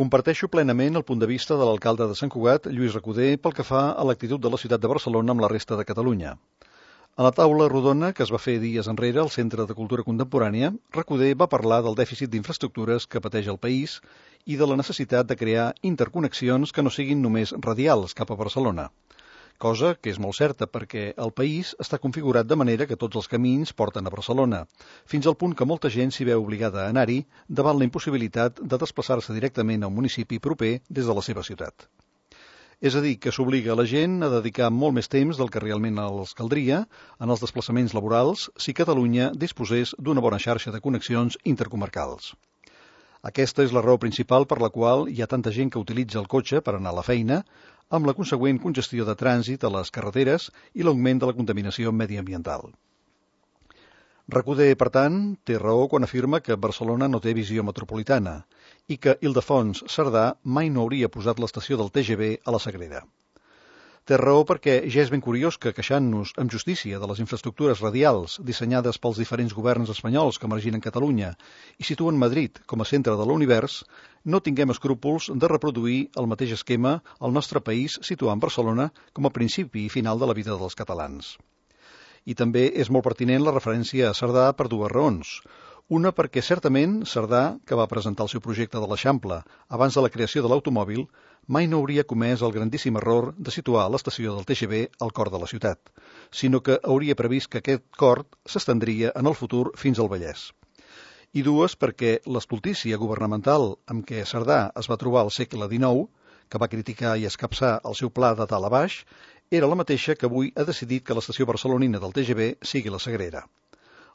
Comparteixo plenament el punt de vista de l'alcalde de Sant Cugat, Lluís Recoder, pel que fa a l'actitud de la ciutat de Barcelona amb la resta de Catalunya. A la taula rodona que es va fer dies enrere al Centre de Cultura Contemporània, Recoder va parlar del dèficit d'infraestructures que pateix el país i de la necessitat de crear interconnexions que no siguin només radials cap a Barcelona. Cosa que és molt certa perquè el país està configurat de manera que tots els camins porten a Barcelona, fins al punt que molta gent s'hi veu obligada a anar-hi davant la impossibilitat de desplaçar-se directament a un municipi proper des de la seva ciutat. És a dir, que s'obliga a la gent a dedicar molt més temps del que realment els caldria en els desplaçaments laborals si Catalunya disposés d'una bona xarxa de connexions intercomarcals. Aquesta és la raó principal per la qual hi ha tanta gent que utilitza el cotxe per anar a la feina, amb la consegüent congestió de trànsit a les carreteres i l'augment de la contaminació mediambiental. Recoder, per tant, té raó quan afirma que Barcelona no té visió metropolitana i que Ildefons Cerdà mai no hauria posat l'estació del TGV a la Sagrera. Té raó perquè ja és ben curiós que, queixant-nos amb justícia de les infraestructures radials dissenyades pels diferents governs espanyols que marginen Catalunya i situen Madrid com a centre de l'univers, no tinguem escrúpols de reproduir el mateix esquema al nostre país situant Barcelona com a principi i final de la vida dels catalans. I també és molt pertinent la referència a Cerdà per dues raons. Una perquè certament Cerdà, que va presentar el seu projecte de l'Eixample abans de la creació de l'automòbil, mai no hauria comès el grandíssim error de situar l'estació del TGV al cor de la ciutat, sinó que hauria previst que aquest cor s'estendria en el futur fins al Vallès. I dues perquè l'estultícia governamental amb què Cerdà es va trobar al segle XIX, que va criticar i escapçar el seu pla de dalt a baix, era la mateixa que avui ha decidit que l'estació barcelonina del TGV sigui la Sagrera.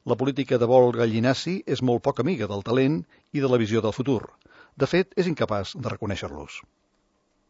La política de vol gallinaci és molt poc amiga del talent i de la visió del futur. De fet, és incapaç de reconèixer-los.